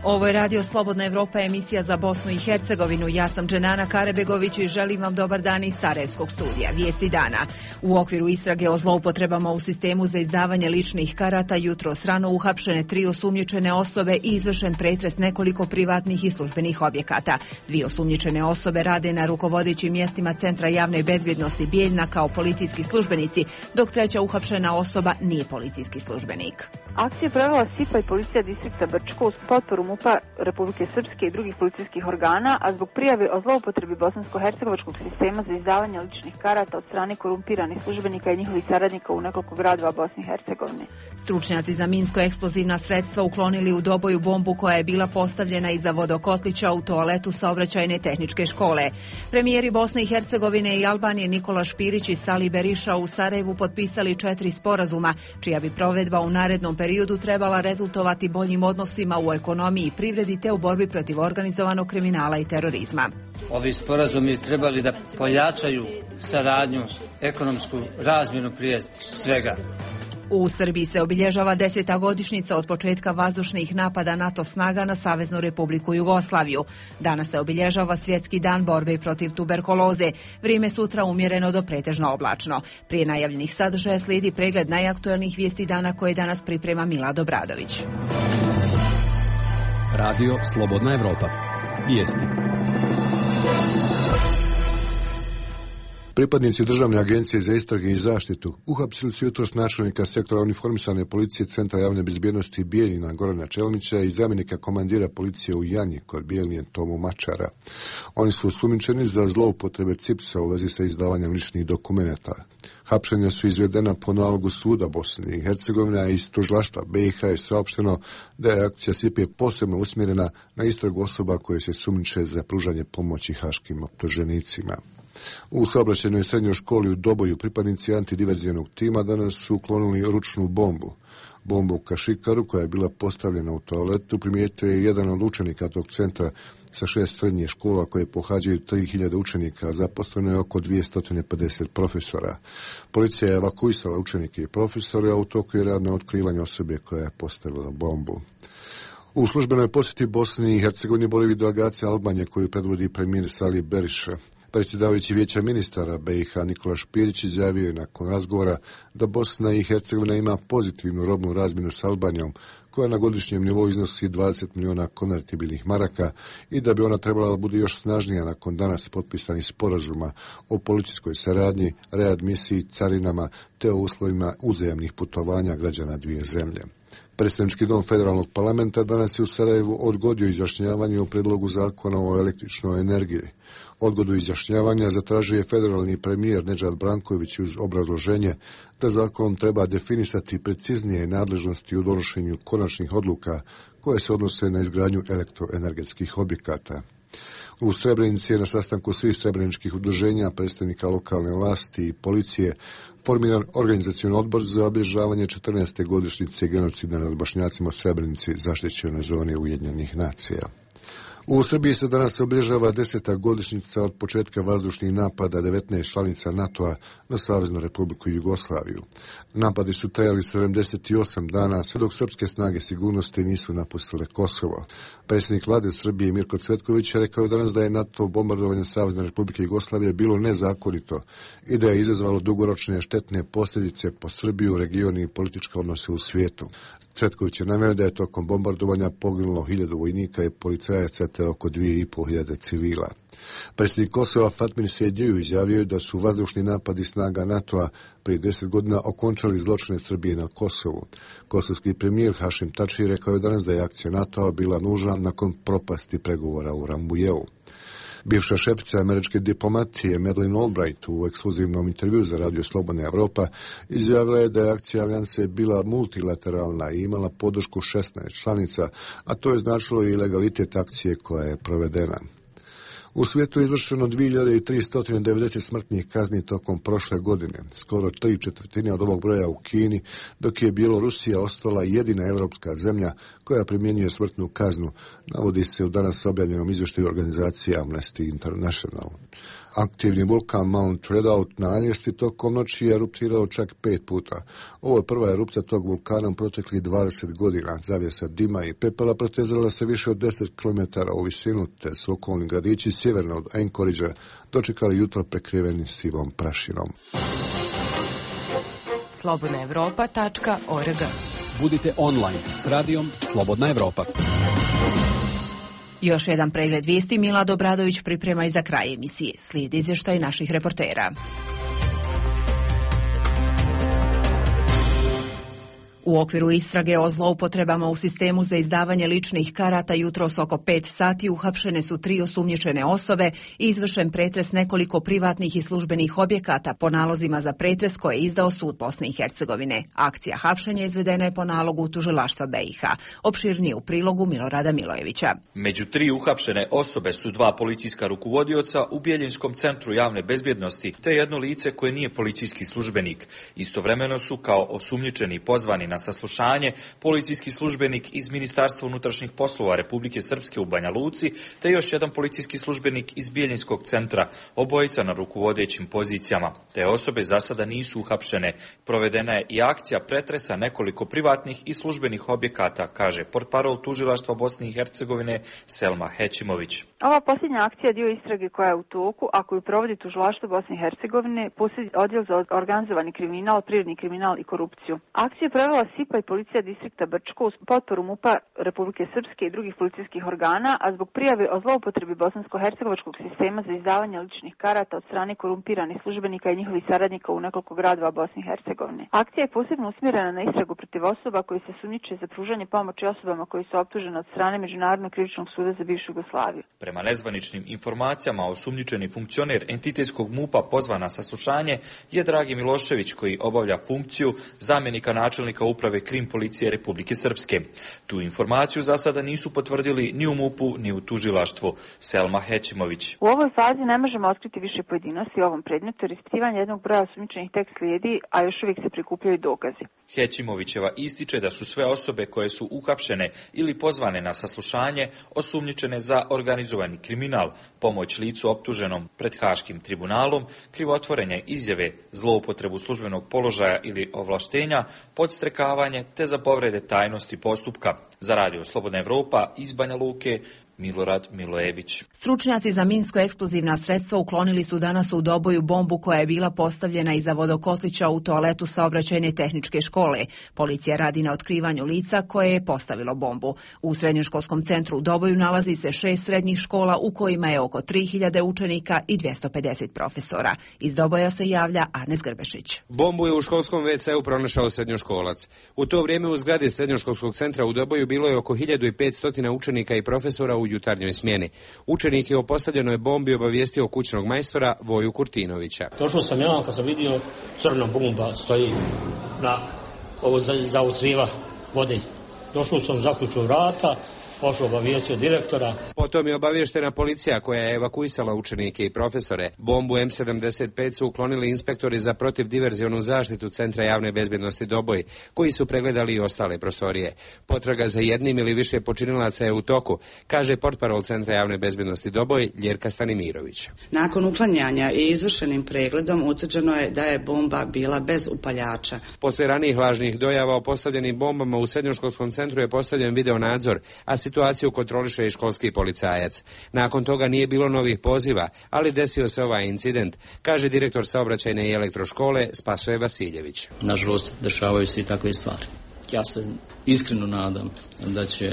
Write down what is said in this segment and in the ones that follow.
Ovo je Radio Slobodna Evropa, emisija za Bosnu i Hercegovinu. Ja sam Dženana Karebegović i želim vam dobar dan iz Sarajevskog studija. Vijesti dana. U okviru istrage o zloupotrebama u sistemu za izdavanje ličnih karata jutros rano uhapšene 3 osumnjičene osobe i izvršen pretres nekoliko privatnih i službenih objekata. 2 osumnjičene osobe rade na rukovodećim mjestima Centra javne bezbjednosti Bijeljina kao policijski službenici, dok 3. uhapšena osoba nije policijski službenik. Akcija je provela SIPA i policija distrikta Brčko uz potporu MUP-a Republike Srpske i drugih policijskih organa, a zbog prijave o zloupotrebi bosansko-hercegovačkog sistema za izdavanje ličnih karata od strane korumpiranih službenika i njihovih saradnika u nekoliko gradova Bosne i Hercegovine. Stručnjaci za minsko-eksplozivna sredstva uklonili u Doboju bombu koja je bila postavljena iza vodokotlića u toaletu saobraćajne tehničke škole. Premijeri Bosne i Hercegovine i Albanije Nikola Špirić i Sali Beriša u Sarajevu potpisali 4 sporazuma, čija bi provedba u narednom periodu trebala rezultovati boljim odnosima u ekonomiji i privredi te u borbi protiv organizovanog kriminala i terorizma. Ovi sporazumi trebali da pojačaju saradnju, ekonomsku razmjenu prije svega. U Srbiji se obilježava 10. godišnjica od početka vazdušnih napada NATO snaga na Saveznu Republiku Jugoslaviju. Danas se obilježava Svjetski dan borbe protiv tuberkuloze. Vrijeme sutra umjereno do pretežno oblačno. Prije najavljenih sadržaja slijedi pregled najaktuelnijih vijesti dana koje danas priprema Milad Obradović. Radio Slobodna Evropa. Vijesti. Pripadnici Državne agencije za istrage i zaštitu uhapsili su jutros načelnika sektora uniformisane policije Centra javne bezbjednosti Bijeljina Gorana Čelmića i zamjenika komandira policije u Janji kod Bijeljine Tomu Mačara. Oni su osumnjičeni za zloupotrebe CIPS-a u vezi sa izdavanjem ličnih dokumenata. Hapšenja su izvedena po nalogu suda Bosne i Hercegovine, a iz tužilaštva BiH je saopšteno da je akcija SIPA posebno usmjerena na istragu osoba koje se sumnjiče za pružanje pomoći haškim optuženicima. U saobraćajnoj srednjoj školi u Doboju pripadnici antidiverzijanog tima danas su uklonili ručnu bombu. Bombu u kašikaru koja je bila postavljena u toaletu primijetio je jedan od učenika tog centra sa 6 srednjih škola koje pohađaju 3000 učenika, zaposleno je oko 250 profesora. Policija je evakuisala učenike i profesore, a u toku je rad na otkrivanje osobe koja je postavila bombu. U službenoj posjeti Bosni i Hercegovini boravi delegacija Albanije koju predvodi premijer Sali Beriša. Predsjedavajući vijeća ministara BiH Nikola Špirić izjavio je nakon razgovora da Bosna i Hercegovina ima pozitivnu robnu razmjenu s Albanijom koja na godišnjem nivou iznosi 20 milijuna konvertibilnih maraka i da bi ona trebala bude još snažnija nakon danas potpisanih sporazuma o policijskoj saradnji, readmisiji, carinama te o uslovima uzajamnih putovanja građana dvije zemlje. Predstavnički dom Federalnog parlamenta danas je u Sarajevu odgodio izjašnjavanje o predlogu zakona o električnoj energiji. Odgodu izjašnjavanja zatražio je federalni premijer Nedžad Branković uz obrazloženje da zakonom treba definisati preciznije nadležnosti u donošenju konačnih odluka koje se odnose na izgradnju elektroenergetskih objekata. U Srebrenici je na sastanku svih srebreničkih udruženja, predstavnika lokalne vlasti i policije formiran organizacioni odbor za obilježavanje 14. godišnjice genocida nad Bošnjacima u Srebrenici, zaštićenoj zoni Ujedinjenih nacija. U Srbiji se danas obilježava 10. godišnjica od početka vazdušnih napada 19 članica NATO-a na Saveznu Republiku Jugoslaviju. Napadi su trajali 78 dana, sve dok srpske snage sigurnosti nisu napustile Kosovo. Predsjednik vlade Srbije Mirko Cvetković je rekao danas da je NATO bombardovanje Savezne Republike Jugoslavije bilo nezakonito i da je izazvalo dugoročne štetne posljedice po Srbiju, region i političke odnose u svijetu. Cvetković je naveo da je tokom bombardovanja poginulo 1000 vojnika i policajaca te oko 2500 civila. Predsjednik Kosova Fatmir Sejdiu izjavio da su vazdušni napadi snaga NATO-a prije 10 godina okončali zločine Srbije na Kosovu. Kosovski premijer Hašim Tači rekao je danas da je akcija NATO-a bila nužna nakon propasti pregovora u Rambujevu. Bivša šefica američke diplomatije Madeleine Albright u ekskluzivnom intervju za Radio Slobodna Evropa izjavila je da je akcija alijanse bila multilateralna i imala podršku 16 članica, a to je značilo i legalitet akcije koja je provedena. U svijetu je izvršeno 2390 smrtnih kazni tokom prošle godine, skoro 3/4 od ovog broja u Kini, dok je Bjelorusija ostala jedina evropska zemlja koja primjenjuje smrtnu kaznu, navodi se u danas objavljenom izvještaju organizacije Amnesty International. Aktivni vulkan Mount Redoubt na Aljesti tokom noći je eruptirao čak 5 puta. Ovo je prva erupcija tog vulkana u proteklih 20 godina. Zavjesa dima i pepela protezala se više od 10 km u visinu, te su okolni gradići sjeverno od Anchoragea dočekali jutro prekriveni sivom prašinom. slobodnaevropa.org. Budite online s radijom Slobodna Evropa. Još jedan pregled vijesti Milad Obradović priprema i za kraj emisije. Slijedi izvještaj naših reportera. U okviru istrage o zloupotrebama u sistemu za izdavanje ličnih karata jutros oko 5 sati uhapšene su 3 osumnjičene osobe i izvršen pretres nekoliko privatnih i službenih objekata po nalozima za pretres koje je izdao sud Bosne i Hercegovine. Akcija hapšenja izvedena je po nalogu tužilaštva BiH. Opširnije u prilogu Milorada Milojevića. Među 3 uhapšene osobe su 2 policijska rukovodioca u Bijeljinskom centru javne bezbjednosti te jedno lice koje nije policijski službenik. Istovremeno su kao osumnjičeni pozvani na saslušanje policijski službenik iz Ministarstva unutrašnjih poslova Republike Srpske u Banja Luci te još jedan policijski službenik iz Bijeljinskog centra, obojica na rukovodećim pozicijama. Te osobe za sada nisu uhapšene. Provedena je i akcija pretresa nekoliko privatnih i službenih objekata, kaže portparol tužilaštva Bosne i Hercegovine Selma Hećimović. Ova posljednja akcija je dio istrage koja je u toku, a koju provodi tužilaštvo Bosne i Hercegovine, posebni odjel za organizovani kriminal, privredni kriminal i korupciju. Akciju je provela SIPA i policija distrikta Brčko uz potporu MUP-a Republike Srpske i drugih policijskih organa, a zbog prijave o zloupotrebi bosansko-hercegovačkog sistema za izdavanje ličnih karata od strane korumpiranih službenika i njihovih saradnika u nekoliko gradova Bosne i Hercegovine. Akcija je posebno usmjerena na istragu protiv osoba koji se sumnjiče za pružanje pomoći osobama koji su optužene od strane Međunarodnog krivičnog suda za bivšu Jugoslaviju. Prema nezvaničnim informacijama, osumnjičeni funkcioner entitetskog MUP-a pozvan na saslušanje je Dragi Milošević, koji obavlja funkciju zamjenika načelnika uprave Krim policije Republike Srpske. Tu informaciju za sada nisu potvrdili ni u MUP-u ni u tužilaštvu. Selma Hećimović. U ovoj fazi ne možemo otkriti više pojedinosti u ovom predmetu jer ispitivanje jednog broja osumnjičenih tek slijedi, a još uvijek se prikupljaju dokazi. Hećimovićeva ističe da su sve osobe koje su uhapšene ili pozvane na saslušanje osumnjičene za organizovani kriminal, pomoć licu optuženom pred Haškim tribunalom, krivotvorenje izjave, zloupotrebu službenog položaja ili ovlaštenja, podstrekavanje te za povrede tajnosti postupka. Za Radio Slobodna Evropa iz Banja Luke, Milorad Milojević. Stručnjaci za minsko-eksplozivna sredstva uklonili su danas u Doboju bombu koja je bila postavljena iza vodokotlića u toaletu saobraćajne tehničke škole. Policija radi na otkrivanju lica koje je postavilo bombu. U srednjoškolskom centru u Doboju nalazi se 6 srednjih škola u kojima je oko 3000 učenika i 250 profesora. Iz Doboja se javlja Arnes Grbešić. Bombu je u školskom WC-u pronašao srednjoškolac. U to vrijeme u zgradi srednjoškolskog centra u Doboju bilo je oko 1500 učenika i profesora u jutarnjoj smjeni. Učenik je o postavljenoj bombi obavijestio kućnog majstora Voju Kurtinovića. Došao sam ja kad sam vidio crna bomba stoji na ovo za ucriva vode. Došao sam, zaključio vrata, pošao obavijestio direktora. Potom je obavještena policija koja je evakuisala učenike i profesore. Bombu M75 su uklonili inspektori za protivdiverzionu zaštitu Centra javne bezbjednosti Doboj, koji su pregledali i ostale prostorije. Potraga za jednim ili više počinilaca je u toku, kaže portparol Centra javne bezbjednosti Doboj Ljerka Stanimirović. Nakon uklanjanja i izvršenim pregledom utvrđeno je da je bomba bila bez upaljača. Poslije ranijih lažnih dojava o postavljenim bombama u srednjoškolskom centru je postavljen video nadzor, a situaciju kontroliše i školski policajac. Nakon toga nije bilo novih poziva, ali desio se ovaj incident, kaže direktor saobraćajne i elektroškole Spasoje Vasiljević. Nažalost, dešavaju se i takve stvari. Ja se iskreno nadam da će,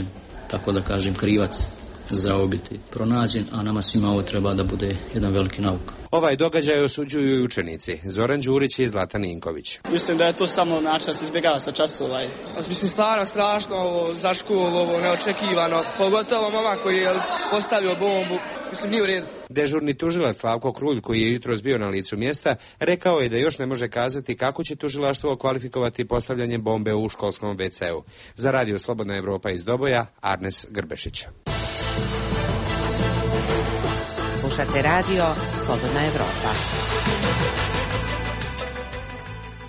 tako da kažem, krivac za ovo biti pronađen, a nama svima ovo treba da bude jedan veliki nauk. Ovaj događaj osuđuju i učenici. Zoran Đurić i Zlatan Ninković. Mislim da je to samo način da se izbjegava sa časova. Mislim, stvarno strašno ovo za školu, ovo neočekivano. Pogotovo momak koji je postavio bombu. Mislim, nije u redu. Dežurni tužilac Slavko Krulj, koji je jutros bio na licu mjesta, rekao je da još ne može kazati kako će tužilaštvo kvalifikovati postavljanje bombe u školskom WC-u. Za Radio Slobodna Evropa iz Doboja, Arnes Grbešić. Slušate Radio Slobodna Evropa.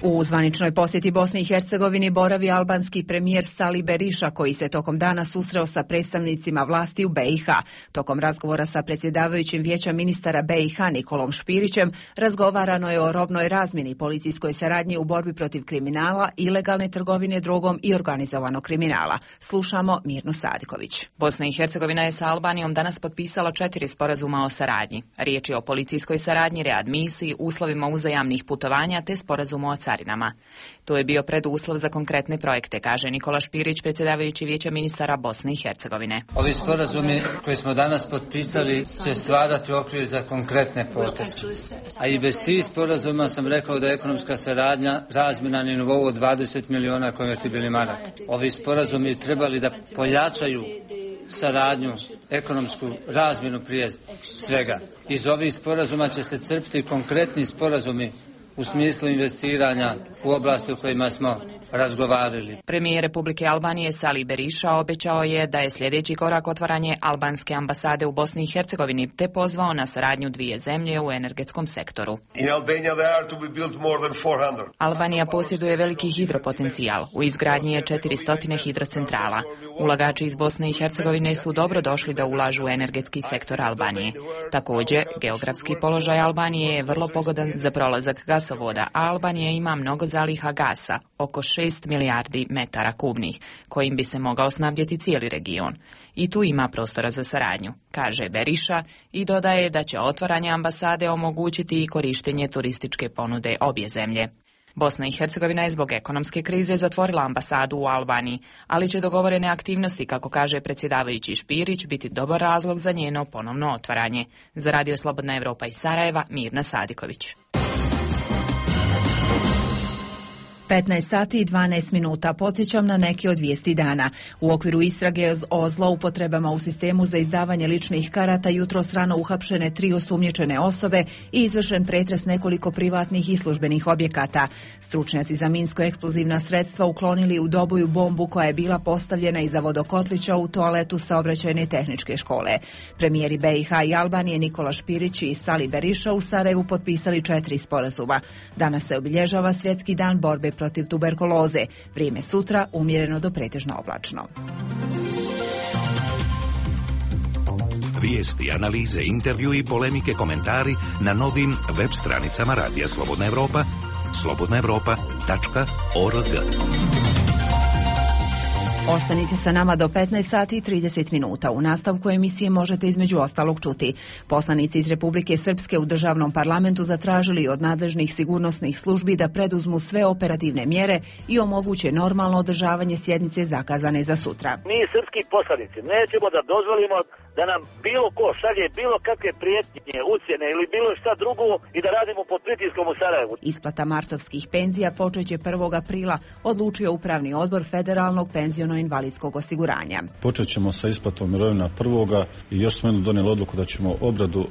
U zvaničnoj posjeti Bosni i Hercegovini boravi albanski premijer Sali Berisha, koji se tokom dana susreo sa predstavnicima vlasti u BiH. Tokom razgovora sa predsjedavajućim vijeća ministara BiH Nikolom Špirićem razgovarano je o robnoj razmjeni, policijskoj saradnji u borbi protiv kriminala, ilegalne trgovine drogom i organizovanog kriminala. Slušamo Mirnu Sadiković. Bosna i Hercegovina je sa Albanijom danas potpisala 4 sporazuma o saradnji. Riječ je o policijskoj saradnji, readmisiji, uslovima uzajamnih putovanja te sporazumu o carinama. To je bio preduslov za konkretne projekte, kaže Nikola Špirić, predsjedavajući vijeća ministara Bosne i Hercegovine. Ovi sporazumi koje smo danas potpisali će stvarati okvir za konkretne poteze. A i bez tih sporazuma sam rekao da je ekonomska saradnja razmjena na nivou od 20 miliona konvertibilnih maraka. Ovi sporazumi trebali da pojačaju saradnju, ekonomsku razmjenu prije svega. Iz ovih sporazuma će se crpiti konkretni sporazumi u smislu investiranja u oblasti u kojima smo razgovarali. Premijer Republike Albanije Sali Berisha obećao je da je sljedeći korak otvaranje albanske ambasade u Bosni i Hercegovini, te pozvao na saradnju dvije zemlje u energetskom sektoru. Albanija posjeduje veliki hidropotencijal. U izgradnji je 400 hidrocentrala. Ulagači iz Bosne i Hercegovine su dobro došli da ulažu u energetski sektor Albanije. Također, geografski položaj Albanije je vrlo pogodan za prolazak gasovoda, a Albanija ima mnogo zaliha gasa, oko 6 milijardi metara kubnih, kojim bi se mogao snabdjeti cijeli region. I tu ima prostora za saradnju, kaže Berisha i dodaje da će otvaranje ambasade omogućiti i korištenje turističke ponude obje zemlje. Bosna i Hercegovina je zbog ekonomske krize zatvorila ambasadu u Albaniji, ali će dogovorene aktivnosti, kako kaže predsjedavajući Špirić, biti dobar razlog za njeno ponovno otvaranje. Za Radio Slobodna Evropa iz Sarajeva, Mirna Sadiković. 15 sati i 12 minuta. Podsjećam na neke od vijesti dana. U okviru istrage o zloupotrebama u sistemu za izdavanje ličnih karata jutros rano uhapšene 3 osumnjičene osobe i izvršen pretres nekoliko privatnih i službenih objekata. Stručnjaci za minsko-eksplozivna sredstva uklonili u Doboju bombu koja je bila postavljena iza vodokotlića u toaletu Saobraćajne tehničke škole. Premijeri BiH i Albanije Nikola Špirić i Sali Berisha u Sarajevu potpisali 4 sporazuma. Danas se obilježava Svjetski dan borbe protiv tuberkuloze. Vrijeme sutra umjereno do pretežno oblačno. Vijesti, analize, intervju i polemike, komentari na novim web stranicama Radija Slobodna Evropa, slobodnaevropa.org. Ostanite sa nama do 15 sati i 30 minuta. U nastavku emisije možete između ostalog čuti. Poslanici iz Republike Srpske u državnom parlamentu zatražili od nadležnih sigurnosnih službi da preduzmu sve operativne mjere i omoguće normalno održavanje sjednice zakazane za sutra. Mi srpski poslanici nećemo da dozvolimo da nam bilo ko šalje bilo kakve prijetnje, ucjene ili bilo šta drugo i da radimo pod pritiskom u Sarajevu. Isplata martovskih penzija počeće 1. aprila, odlučio Upravni odbor Federalnog penziono-invalidskog osiguranja. Počet ćemo sa isplatom mirovina 1. i još smo donijeli odluku da ćemo obradu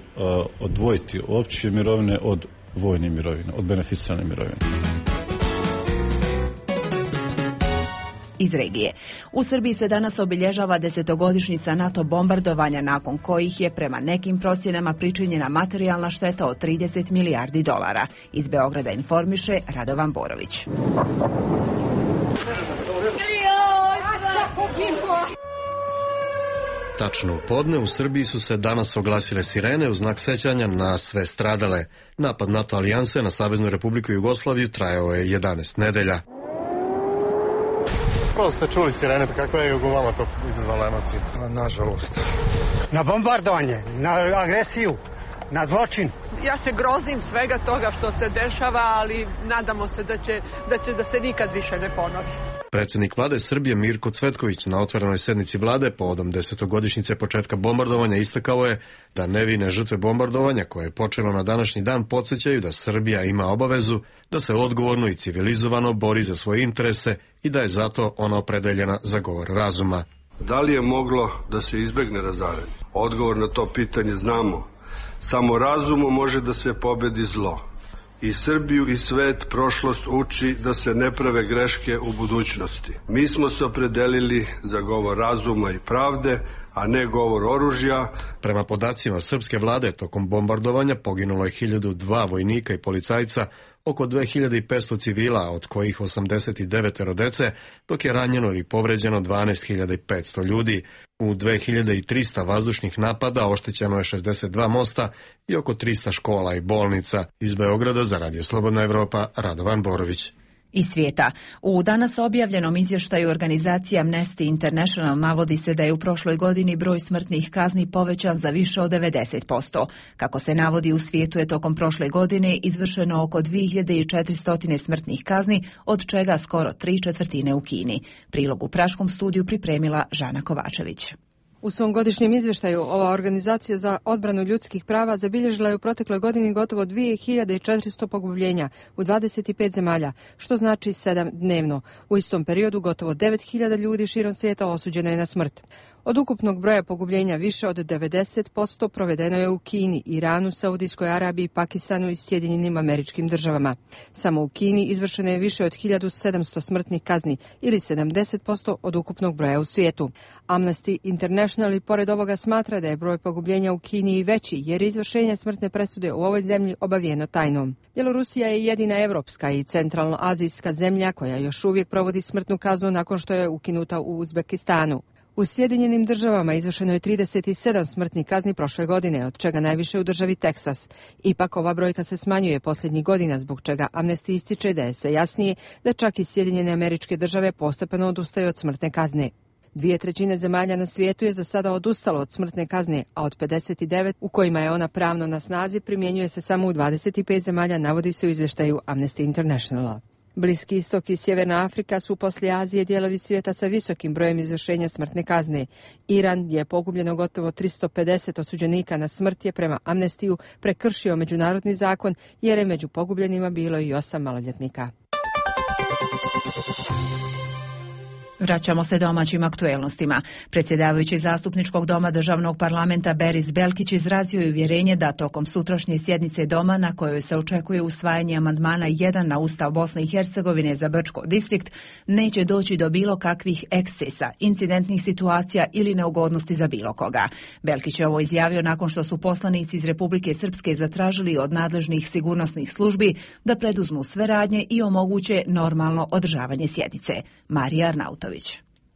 odvojiti opće mirovine od vojne mirovine, od beneficirane mirovine. Iz regije. U Srbiji se danas obilježava 10-godišnjica NATO bombardovanja, nakon kojih je prema nekim procjenama pričinjena materijalna šteta od 30 milijardi dolara. Iz Beograda informiše Radovan Borović. Tačno u podne u Srbiji su se danas oglasile sirene u znak sećanja na sve stradale. Napad NATO alijanse na Saveznu Republiku Jugoslaviju trajao je 11 nedelja. Prvo ste čuli sirene, kako je u vama to izazvalo emocije? Nažalost. Na bombardovanje, na agresiju, na zločin. Ja se grozim svega toga što se dešava, ali nadamo se da se nikad više ne ponovi. Predsjednik vlade Srbije Mirko Cvetković na otvorenoj sednici vlade povodom 10-godišnjice početka bombardovanja istakao je da nevine žrtve bombardovanja koje je počelo na današnji dan podsjećaju da Srbija ima obavezu da se odgovorno i civilizovano bori za svoje interese i da je zato ona opredeljena za govor razuma. Da li je moglo da se izbegne razaranje? Odgovor na to pitanje znamo. Samo razumom može da se pobedi zlo. I Srbiju i svet prošlost uči da se ne prave greške u budućnosti. Mi smo se opredelili za govor razuma i pravde, a ne govor oružja. Prema podacima srpske vlade, tokom bombardovanja poginulo je 1002 vojnika i policajca, oko 2500 civila, od kojih 89 dece, dok je ranjeno ili povređeno 12.500 ljudi. U 2300 vazdušnih napada oštećeno je 62 mosta i oko 300 škola i bolnica. Iz Beograda za Radio Slobodna Evropa, Radovan Borović. Iz svijeta. U danas objavljenom izvještaju organizacije Amnesty International navodi se da je u prošloj godini broj smrtnih kazni povećan za više od 90%. Kako se navodi, u svijetu je tokom prošle godine izvršeno oko 2400 smrtnih kazni, od čega skoro 3/4 u Kini. Prilog u praškom studiju pripremila Žana Kovačević. U svom godišnjem izvještaju ova organizacija za odbranu ljudskih prava zabilježila je u protekloj godini gotovo 2400 pogubljenja u 25 zemalja, što znači 7 dnevno. U istom periodu gotovo 9000 ljudi širom svijeta osuđeno je na smrt. Od ukupnog broja pogubljenja više od 90% provedeno je u Kini, Iranu, Saudijskoj Arabiji, Pakistanu i Sjedinjenim Američkim Državama. Samo u Kini izvršeno je više od 1700 smrtnih kazni ili 70% od ukupnog broja u svijetu. Amnesty International i pored ovoga smatra da je broj pogubljenja u Kini i veći jer izvršenje smrtne presude u ovoj zemlji obavijeno tajnom. Bjelorusija je jedina evropska i centralnoazijska zemlja koja još uvijek provodi smrtnu kaznu nakon što je ukinuta u Uzbekistanu. U Sjedinjenim Državama izvršeno je 37 smrtnih kazni prošle godine, od čega najviše u državi Teksas. Ipak ova brojka se smanjuje posljednjih godina, zbog čega Amnesty ističe da je sve jasnije da čak i Sjedinjene Američke Države postepeno odustaju od smrtne kazne. 2/3 zemalja na svijetu je za sada odustalo od smrtne kazne, a od 59 u kojima je ona pravno na snazi primjenjuje se samo u 25 zemalja, navodi se u izvještaju Amnesty Internationala. Bliski istok i Sjeverna Afrika su poslije Azije dijelovi svijeta sa visokim brojem izvršenja smrtne kazne. Iran, gdje je pogubljeno gotovo 350 osuđenika na smrt, je prema Amnestiju prekršio međunarodni zakon jer je među pogubljenima bilo i 8 maloljetnika. Vraćamo se domaćim aktuelnostima. Predsjedavajući Zastupničkog doma Državnog parlamenta Beris Belkić izrazio je uvjerenje da tokom sutrašnje sjednice doma, na kojoj se očekuje usvajanje amandmana 1 na Ustav Bosne i Hercegovine za Brčko distrikt, neće doći do bilo kakvih ekscesa, incidentnih situacija ili neugodnosti za bilo koga. Belkić je ovo izjavio nakon što su poslanici iz Republike Srpske zatražili od nadležnih sigurnosnih službi da preduzmu sve radnje i omoguće normalno održavanje sjednice. Marija Arnautović.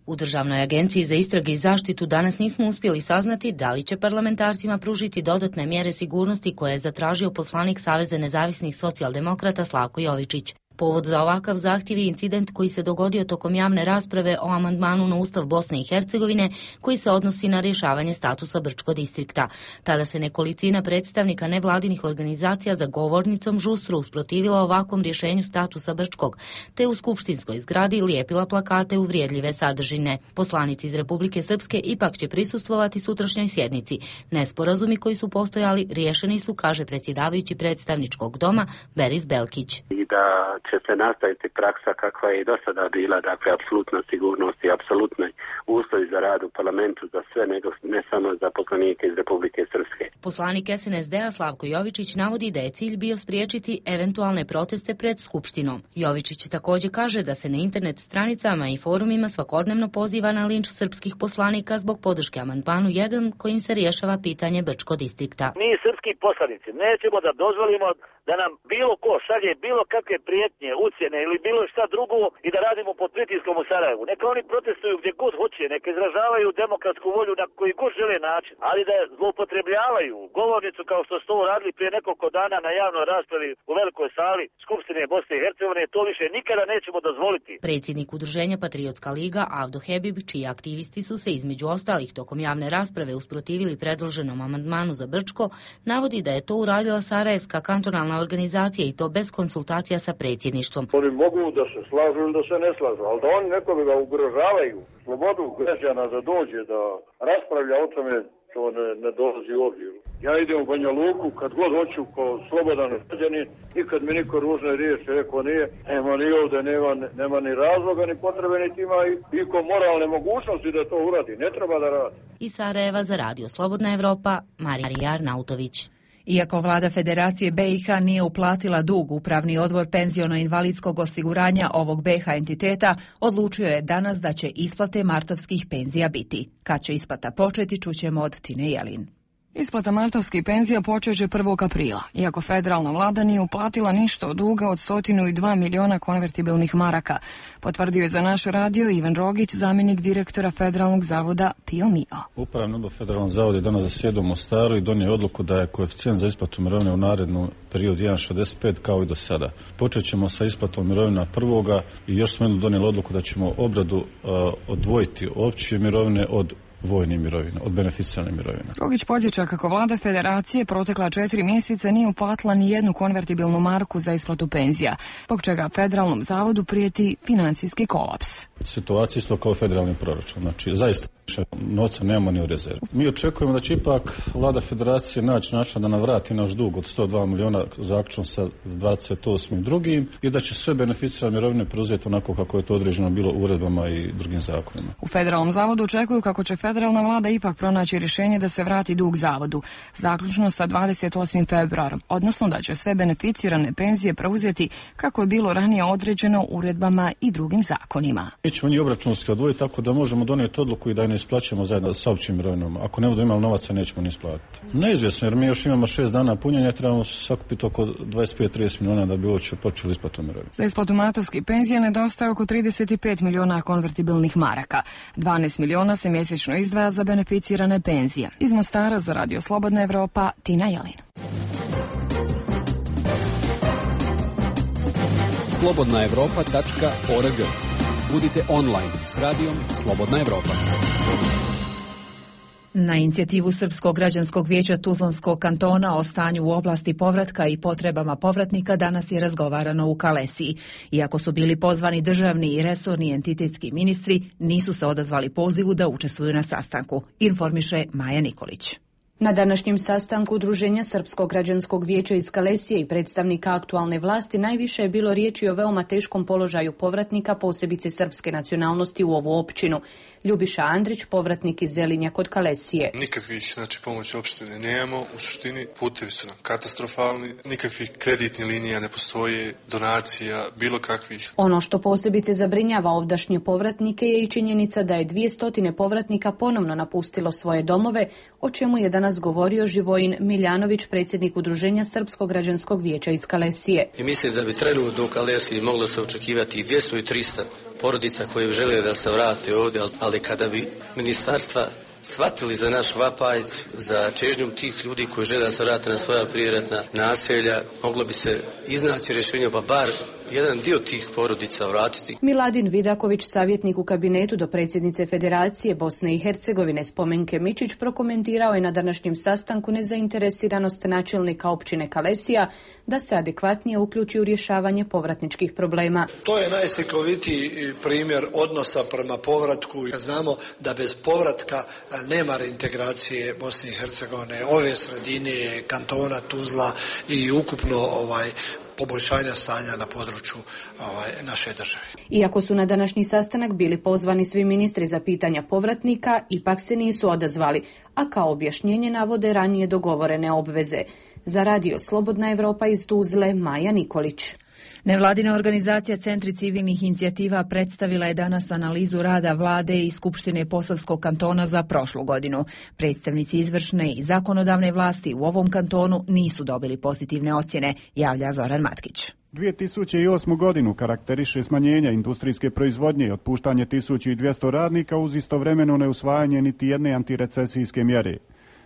U Državnoj agenciji za istrage i zaštitu danas nismo uspjeli saznati da li će parlamentarcima pružiti dodatne mjere sigurnosti koje je zatražio poslanik Saveza nezavisnih socijaldemokrata Slavko Jovičić. Povod za ovakav zahtjev je incident koji se dogodio tokom javne rasprave o amandmanu na Ustav Bosne i Hercegovine koji se odnosi na rješavanje statusa Brčko distrikta. Tada se nekolicina predstavnika nevladinih organizacija za govornicom žustro usprotivila ovakvom rješenju statusa Brčkog, te u skupštinskoj zgradi lijepila plakate uvrijedljive sadržine. Poslanici iz Republike Srpske ipak će prisustvovati sutrašnjoj sjednici. Nesporazumi koji su postojali riješeni su, kaže predsjedavajući predstavničkog doma Beris Belkić. Će se nastaviti praksa kakva je i do sada bila, dakle apsolutna sigurnost i apsolutni uslovi za rad u parlamentu za sve, nego ne samo za poslanike iz Republike Srpske. Poslanik SNSD-a Slavko Jovičić navodi da je cilj bio spriječiti eventualne proteste pred Skupštinom. Jovičić također kaže da se na internet stranicama i forumima svakodnevno poziva na linč srpskih poslanika zbog podrške amandmanu 1 kojim se rješava pitanje Brčko distrikta. Mi srpski poslanici nećemo da dozvolimo da nam bilo ko šalje bilo kakve prijetnje, ucjene ili bilo šta drugo i da radimo pod pritiskom u Sarajevu. Neka oni protestuju gdje god hoće, neka izražavaju demokratsku volju na koji god žele način, ali da zloupotrebljavaju govornicu kao što su to radili prije nekoliko dana na javnoj raspravi u velikoj sali Skupštine Bosne i Hercegovine, to više nikada nećemo dozvoliti. Predsjednik udruženja Patriotska liga Avdo Hebib, čiji aktivisti su se između ostalih tokom javne rasprave usprotivili predloženom amandmanu za Brčko, navodi da je to uradila Sarajevska kantonalna organizacija i to bez konsultacija sa predsjedništvom. Oni mogu da se slažu ili da se ne slažu, ali da oni nekoga ga ugrožavaju slobodu građana da dođe da raspravlja o tome, to ne dolazi u obzir. Ja idem u Banja Luku kad god hoću kao slobodan građanin, nikad mi niko ružne riječi rekao nije, nema ni ovdje, nema ni razloga, ni potrebe, niti ima iko moralne mogućnosti da to uradi, ne treba da radi. Iz Sarajeva za Radio Slobodna Evropa, Marija Arnautović. Iako vlada Federacije BiH nije uplatila dug, Upravni odbor penziono-invalidskog osiguranja ovog BiH entiteta odlučio je danas da će isplate martovskih penzija biti. Kad će isplata početi, čućemo od Tine Jelin. Isplata martovskih penzija počeće 1. aprila, iako federalna vlada nije uplatila ništa od duga od 102 miliona konvertibilnih maraka, potvrdio je za naš radio Ivan Rogić, zamjenik direktora Federalnog zavoda PIO MIO. Upravni odbor Federalnog zavoda je danas zasjedao u Mostaru i donio odluku da je koeficijent za isplatu mirovine u narednom periodu 1,65 kao i do sada. Počet ćemo sa isplatom mirovina 1. i još smo donijeli odluku da ćemo obradu odvojiti opće mirovine od vojne mirovine, od beneficijalne mirovine. Rogić podsjeća kako vlada Federacije protekla 4 mjeseca nije uplatila ni jednu konvertibilnu marku za isplatu penzija, zbog čega Federalnom zavodu prijeti financijski kolaps. Situacija isto kao federalni proračun, znači zaista novca nemamo ni u rezervi. Mi očekujemo da će ipak vlada Federacije naći način da nam vrati naš dug od 102 miliona zaključno sa 28.2. i da će sve beneficijalne mirovine preuzeti onako kako je to određeno bilo uredbama i drugim zakonima. U Federalnom zavodu očekuju kako će federalna vlada ipak pronaći rješenje da se vrati dug zavodu, zaključno sa 28. februarom, odnosno da će sve beneficirane penzije preuzeti kako je bilo ranije određeno uredbama i drugim zakonima. Mi ćemo njih obračunski odvojiti tako da možemo donijeti odluku i da je ne isplaćujemo zajedno sa općim mirovinama. Ako ne budemo imali novaca, nećemo ni isplatiti. Neizvjesno, jer mi još imamo 6 dana punjenja, trebamo sakupiti oko 25-30 miliona da bi uopće počeli isplatu mirovina. Za isplatu martovskih penzija nedostaje oko 35 miliona konvertibilnih maraka. 12 miliona se mjesečno izdvaja za beneficirane penzije. Iz Mostara za Radio Slobodna Evropa, Tina Jelin. slobodnaevropa.org. Budite online s radijom Slobodna Evropa. Na inicijativu Srpskog građanskog vijeća Tuzlanskog kantona o stanju u oblasti povratka i potrebama povratnika danas je razgovarano u Kalesiji. Iako su bili pozvani državni i resorni entitetski ministri, nisu se odazvali pozivu da učestvuju na sastanku, informiše Maja Nikolić. Na današnjem sastanku Udruženja Srpskog građanskog vijeća iz Kalesije i predstavnika aktualne vlasti najviše je bilo riječi o veoma teškom položaju povratnika, posebice srpske nacionalnosti u ovu općinu. Ljubiša Andrić, povratnik iz Zelinja kod Kalesije. Nikakvih pomoći opštine nemamo, u suštini putevi su nam katastrofalni, nikakvih kreditnih linija ne postoje, donacija, bilo kakvih. Ono što posebice zabrinjava ovdašnje povratnike je i činjenica da je 200 povratnika ponovno napustilo svoje domove, o čemu je danas govorio Živojin Miljanović, predsjednik Udruženja Srpskog građanskog vijeća iz Kalesije. I mislim da bi trenutno u Kalesiji moglo se očekivati i 200 i 300 porodica koje žele da se vrate ovdje, ali kada bi ministarstva shvatili za naš vapaj, za čežnjom tih ljudi koji žele da se vrate na svoja prijeratna naselja, moglo bi se iznaći rješenje, pa bar jedan dio tih porodica vratiti. Miladin Vidaković, savjetnik u kabinetu do predsjednice Federacije Bosne i Hercegovine Spomenke Mičić, prokomentirao je na današnjem sastanku nezainteresiranost načelnika općine Kalesija da se adekvatnije uključi u rješavanje povratničkih problema. To je najslikovitiji primjer odnosa prema povratku. Znamo da bez povratka nema reintegracije Bosne i Hercegovine, ove sredine, kantona Tuzla i ukupno poboljšanja stanja na području naše države. Iako su na današnji sastanak bili pozvani svi ministri za pitanja povratnika, ipak se nisu odazvali, a kao objašnjenje navode ranije dogovorene obveze. Za Radio Slobodna Evropa iz Tuzle, Maja Nikolić. Nevladina organizacija Centri civilnih inicijativa predstavila je danas analizu rada vlade i Skupštine Posavskog kantona za prošlu godinu. Predstavnici izvršne i zakonodavne vlasti u ovom kantonu nisu dobili pozitivne ocjene, javlja Zoran Matkić. 2008. godinu karakteriše smanjenje industrijske proizvodnje i otpuštanje 1200 radnika uz istovremeno neusvajanje niti jedne antirecesijske mjere.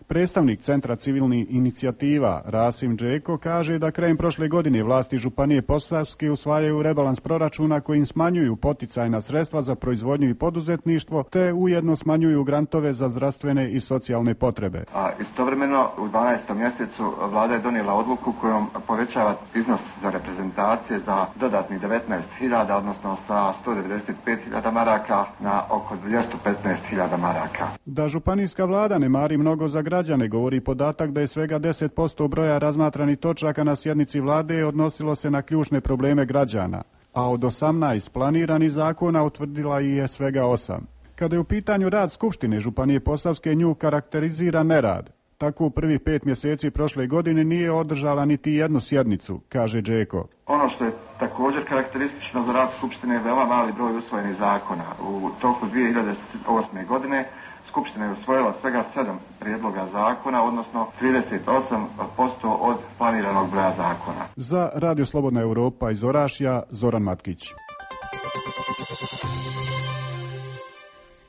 Predstavnik Centra civilnih inicijativa Rasim Džeko kaže da krajem prošle godine vlasti Županije Posavske usvajaju rebalans proračuna kojim smanjuju poticajna sredstva za proizvodnju i poduzetništvo te ujedno smanjuju grantove za zdravstvene i socijalne potrebe. A istovremeno u 12. mjesecu vlada je donijela odluku kojom povećava iznos za reprezentacije za dodatnih 19.000, odnosno sa 195.000 maraka na oko 215.000 maraka. Da županijska vlada ne mari mnogo za građane govori podatak da je svega 10% broja razmatranih točaka na sjednici vlade odnosilo se na ključne probleme građana, a od 18 planiranih zakona utvrdila ih je svega 8. Kada je u pitanju rad Skupštine Županije Posavske, nju karakterizira nerad. Tako u prvih 5 mjeseci prošle godine nije održala niti jednu sjednicu, kaže Džeko. Ono što je također karakteristično za rad Skupštine je veoma mali broj usvojenih zakona. U toku 2008. godine Skupština je usvojila svega 7 prijedloga zakona, odnosno 38% od planiranog broja zakona. Za Radio Slobodna Europa iz Orašja, Zoran Matkić.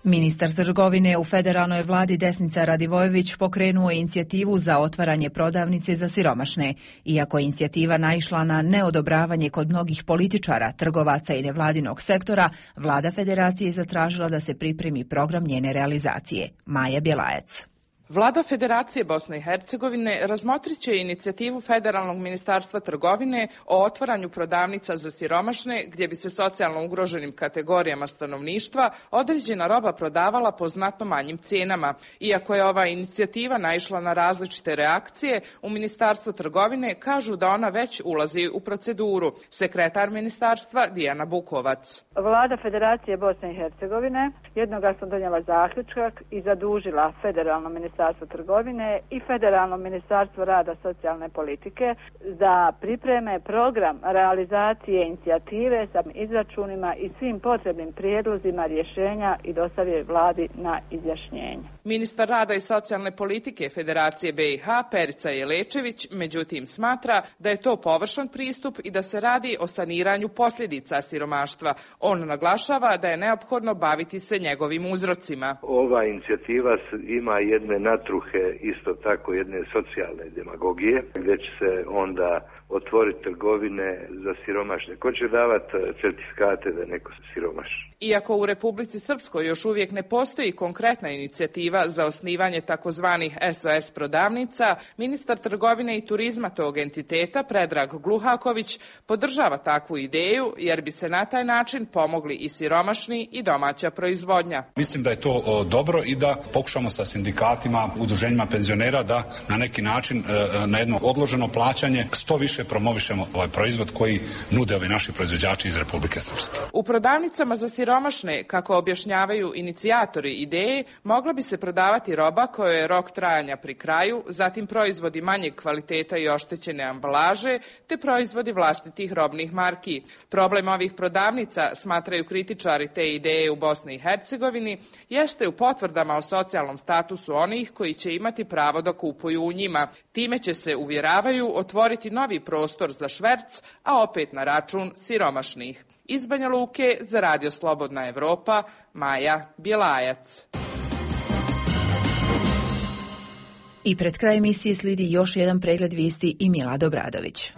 Ministar trgovine u federalnoj vladi Desnica Radivojević pokrenuo je inicijativu za otvaranje prodavnice za siromašne. Iako je inicijativa naišla na neodobravanje kod mnogih političara, trgovaca i nevladinog sektora, vlada federacije je zatražila da se pripremi program njene realizacije. Maja Bjelajac. Vlada Federacije Bosne i Hercegovine razmotrit će inicijativu Federalnog ministarstva trgovine o otvaranju prodavnica za siromašne, gdje bi se socijalno ugroženim kategorijama stanovništva određena roba prodavala po znatno manjim cijenama. Iako je ova inicijativa naišla na različite reakcije, u Ministarstvu trgovine kažu da ona već ulazi u proceduru. Sekretar ministarstva Dijana Bukovac. Vlada Federacije Bosne i Hercegovine jednoglasno donijela zaključak i zadužila Federalno ministarstvo trgovine i Federalno ministarstvo rada socijalne politike da pripreme program realizacije inicijative sa izračunima i svim potrebnim prijedlozima rješenja i dostave vladi na izjašnjenje. Ministar rada i socijalne politike Federacije BiH Perica Jelečević međutim smatra da je to površan pristup i da se radi o saniranju posljedica siromaštva. On naglašava da je neophodno baviti se njegovim uzrocima. Ova inicijativa ima jedne natruhe, isto tako jedne socijalne demagogije, gdje će se onda otvoriti trgovine za siromašne. Ko će davati certifikate da neko siromaš? Iako u Republici Srpskoj još uvijek ne postoji konkretna inicijativa za osnivanje takozvanih SOS prodavnica, ministar trgovine i turizma tog entiteta, Predrag Gluhaković, podržava takvu ideju jer bi se na taj način pomogli i siromašni i domaća proizvodnja. Mislim da je to dobro i da pokušamo sa sindikatima, udruženjima penzionera da na neki način na jedno odloženo plaćanje što više promovišemo ovaj proizvod koji nude ovi naši proizvođači iz Republike Srpske. U prodavnicama za siromašne, kako objašnjavaju inicijatori ideje, mogla bi se prodavati roba kojoj je rok trajanja pri kraju, zatim proizvodi manjeg kvaliteta i oštećene ambalaže, te proizvodi vlastitih robnih marki. Problem ovih prodavnica, smatraju kritičari te ideje u Bosni i Hercegovini, jeste u potvrdama o socijalnom statusu onih koji će imati pravo da kupuju u njima. Time će se, uvjeravaju, otvoriti novi prostor za šverc, a opet na račun siromašnih. Iz Banja Luke za Radio Slobodna Evropa, Maja Bjelajac. I pred kraj emisije slijedi još jedan pregled vijesti i Milad Obradović.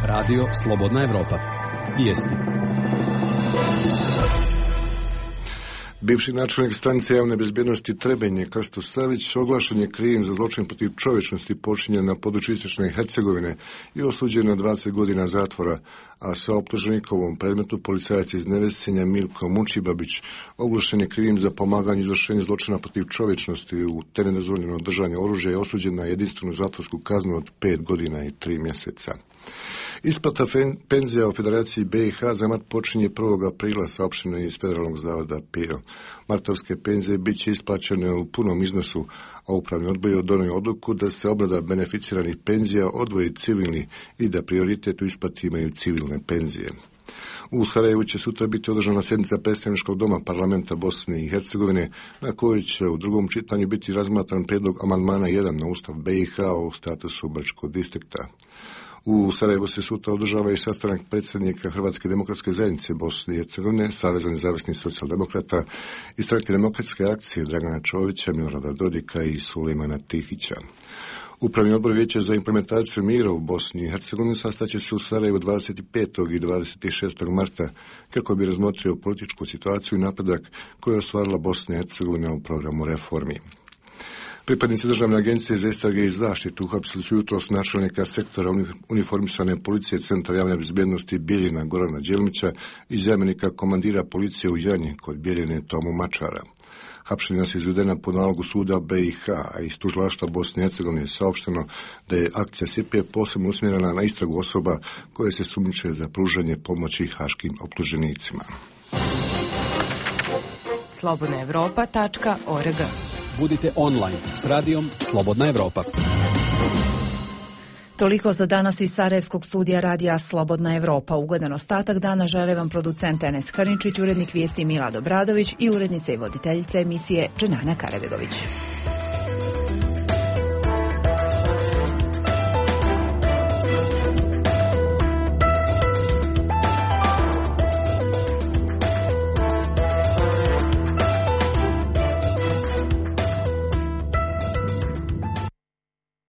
Radio Slobodna Evropa. Vijesti. Bivši načelnik stanice javne bezbjednosti Trebenje Krsto Savić oglašen je krivim za zločin protiv čovječnosti počinjen na području Istočne Hercegovine i osuđen na 20 godina zatvora, a sa optuženikovom predmetu policajac iz Nevesinja Milko Mučibabić oglašen je krivim za pomaganje izvršenja zločina protiv čovječnosti u te nedozvoljeno držanje oružja i osuđen na jedinstvenu zatvorsku kaznu od 5 godina i 3 mjeseca. Isplata penzija u Federaciji BiH za mart počinje 1. aprila, saopšteno iz Federalnog zavoda PIO. Martovske penzije bit će isplaćene u punom iznosu, a upravni odbor je donio odluku da se obrada beneficiranih penzija odvoji civilni i da prioritet u isplati imaju civilne penzije. U Sarajevu će sutra biti održana sjednica predstavničkog doma parlamenta Bosne i Hercegovine, na kojoj će u drugom čitanju biti razmatran prijedlog amandmana 1 na Ustav BiH o statusu Brčkog distrikta. U Sarajevu se sutra održava i sastanak predsjednika Hrvatske demokratske zajednice Bosne i Hercegovine, Saveza nezavisnih socijaldemokrata i Stranke demokratske akcije Dragana Čovića, Milorada Dodika i Sulejmana Tihića. Upravni odbor Vijeća za implementaciju mira u Bosni i Hercegovini sastaće se u Sarajevu 25. i 26. marta kako bi razmotrio političku situaciju i napredak koju je ostvarila Bosna i Hercegovina u programu reformi. Pripadnici Državne agencije za istrage i zaštitu uhapsili su jutros načelnika sektora uniformisane policije Centra javne bezbjednosti Bijeljina Gorana Đelmića i zamjenika komandira policije u Janji kod Bijeljine Tomu Mačara. Hapšenja su izvedena po nalogu suda BiH, a iz tužilaštva Bosne i Hercegovine je saopšteno da je akcija SIPE posebno usmjerena na istragu osoba koje se sumnjiče za pružanje pomoći haškim optuženicima. slobodnaevropa.org Budite online s radijom Slobodna Evropa. Toliko za danas iz Sarajevskog studija radija Slobodna Evropa. Ugodan ostatak dana žele vam producent Enes Hrničić, urednik vijesti Milad Obradović i urednica i voditeljica emisije Dženana Karabegović.